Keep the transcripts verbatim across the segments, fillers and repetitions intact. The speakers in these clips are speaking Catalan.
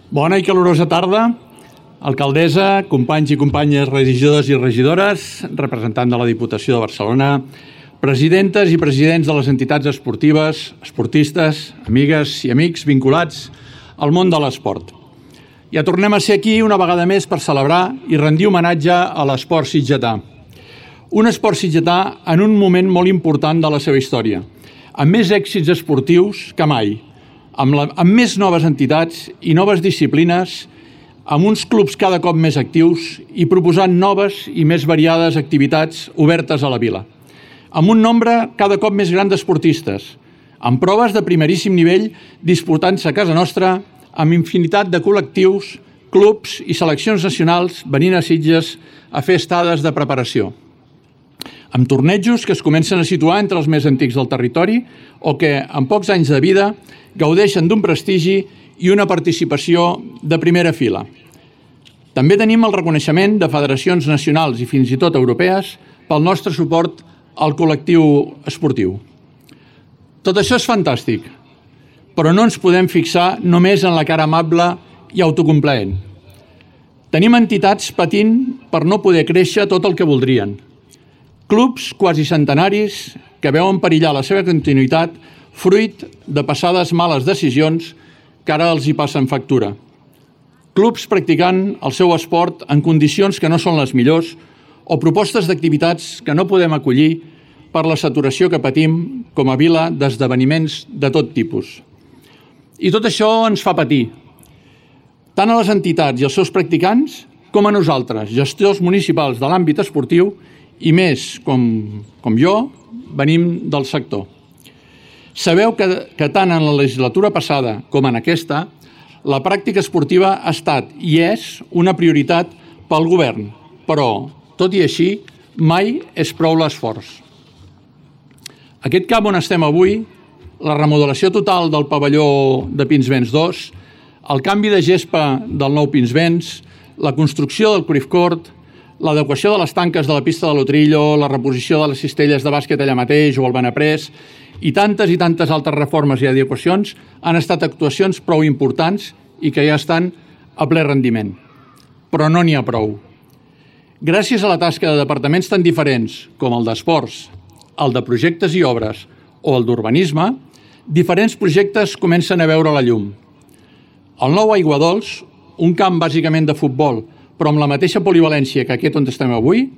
Bona i calorosa tarda, alcaldessa, companys i companyes regidors i regidores, representant de la Diputació de Barcelona, presidentes i presidents de les entitats esportives, esportistes, amigues i amics vinculats al món de l'esport. Ja tornem a ser aquí una vegada més per celebrar i rendir homenatge a l'esport sitgetà. Un esport sitgetà en un moment molt important de la seva història, amb més èxits esportius que mai, amb, la, amb més noves entitats i noves disciplines, amb uns clubs cada cop més actius i proposant noves i més variades activitats obertes a la vila, amb un nombre cada cop més gran d'esportistes, amb proves de primeríssim nivell disputant-se a casa nostra, amb infinitat de col·lectius, clubs i seleccions nacionals venint a Sitges a fer estades de preparació, amb tornejos que es comencen a situar entre els més antics del territori o que, en pocs anys de vida, gaudeixen d'un prestigi i una participació de primera fila. També tenim el reconeixement de federacions nacionals i fins i tot europees pel nostre suport al col·lectiu esportiu. Tot això és fantàstic, però no ens podem fixar només en la cara amable i autocomplaent. Tenim entitats patint per no poder créixer tot el que voldrien. Clubs quasi centenaris que veuen perillar la seva continuïtat fruit de passades males decisions que ara els hi passen factura. Clubs practicant el seu esport en condicions que no són les millors o propostes d'activitats que no podem acollir per la saturació que patim com a vila d'esdeveniments de tot tipus. I tot això ens fa patir, tant a les entitats i els seus practicants com a nosaltres, gestors municipals de l'àmbit esportiu i més, com, com jo, venim del sector. Sabeu que, que tant en la legislatura passada com en aquesta, la pràctica esportiva ha estat i és una prioritat pel govern, però, tot i així, mai és prou l'esforç. Aquest camp on estem avui, la remodelació total del pavelló de Pinsbens dos, el canvi de gespa del nou Pinsbens, la construcció del Cruyff Court, l'adequació de les tanques de la pista de l'Utrillo, la reposició de les cistelles de bàsquet allà mateix o al Benaprés i tantes i tantes altres reformes i adequacions han estat actuacions prou importants i que ja estan a ple rendiment. Però no n'hi ha prou. Gràcies a la tasca de departaments tan diferents com el d'esports, el de projectes i obres o el d'urbanisme, diferents projectes comencen a veure la llum. El nou Aiguadols, un camp bàsicament de futbol, però amb la mateixa polivalència que aquest on estem avui,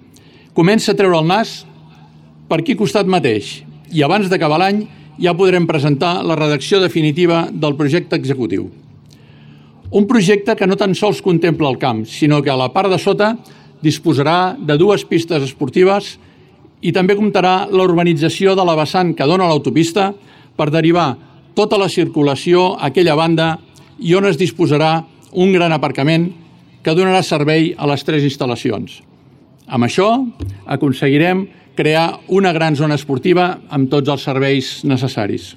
comença a treure el nas per aquí costat mateix i abans d'acabar l'any ja podrem presentar la redacció definitiva del projecte executiu. Un projecte que no tan sols contempla el camp, sinó que a la part de sota disposarà de dues pistes esportives i també comptarà la urbanització de la vessant que dona l'autopista per derivar tota la circulació a aquella banda i on es disposarà un gran aparcament que donarà servei a les tres instal·lacions. Amb això aconseguirem crear una gran zona esportiva amb tots els serveis necessaris.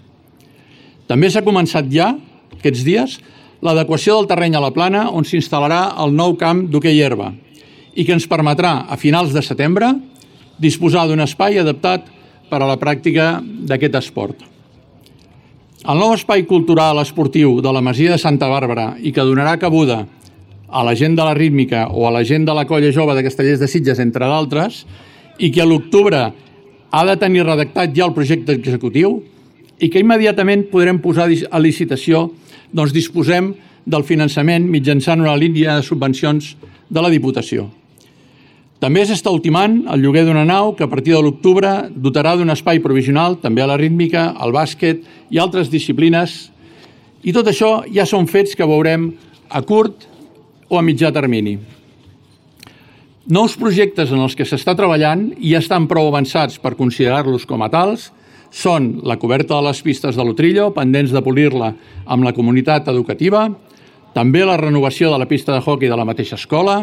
També s'ha començat ja, aquests dies, l'adequació del terreny a la plana on s'instal·larà el nou camp d'hoquei herba i que ens permetrà, a finals de setembre, disposar d'un espai adaptat per a la pràctica d'aquest esport. El nou espai cultural esportiu de la Masia de Santa Bàrbara i que donarà cabuda a la gent de la rítmica o a la gent de la colla jove de Castellers de Sitges, entre d'altres, i que a l'octubre ha de tenir redactat ja el projecte executiu i que immediatament podrem posar a licitació, doncs disposem del finançament mitjançant una línia de subvencions de la Diputació. També s'està ultimant el lloguer d'una nau que a partir de l'octubre dotarà d'un espai provisional també a la rítmica, al bàsquet i altres disciplines. I tot això ja són fets que veurem a curt o a mitjà termini. Nous projectes en els que s'està treballant i ja estan prou avançats per considerar-los com a tals són la coberta de les pistes de l'Utrillo, pendents de polir-la amb la comunitat educativa, també la renovació de la pista de hoquei de la mateixa escola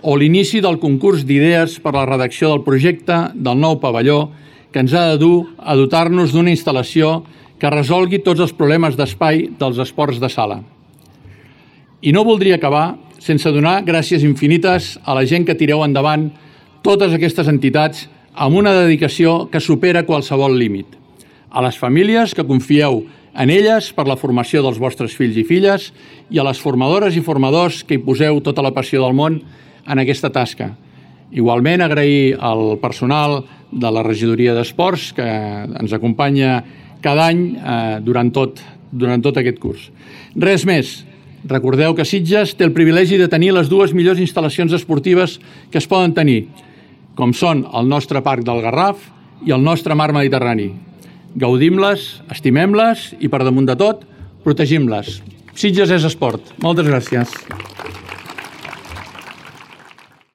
o l'inici del concurs d'idees per a la redacció del projecte del nou pavelló que ens ha de dur a dotar-nos d'una instal·lació que resolgui tots els problemes d'espai dels esports de sala. I no voldria acabar sense donar gràcies infinites a la gent que tireu endavant totes aquestes entitats amb una dedicació que supera qualsevol límit. A les famílies que confieu en elles per la formació dels vostres fills i filles i a les formadores i formadors que hi poseu tota la passió del món en aquesta tasca. Igualment, agrair al personal de la regidoria d'Esports que ens acompanya cada any eh, durant, tot, durant tot aquest curs. Res més. Recordeu que Sitges té el privilegi de tenir les dues millors instal·lacions esportives que es poden tenir, com són el nostre Parc del Garraf i el nostre Mar Mediterrani. Gaudim-les, estimem-les i, per damunt de tot, protegim-les. Sitges és esport. Moltes gràcies.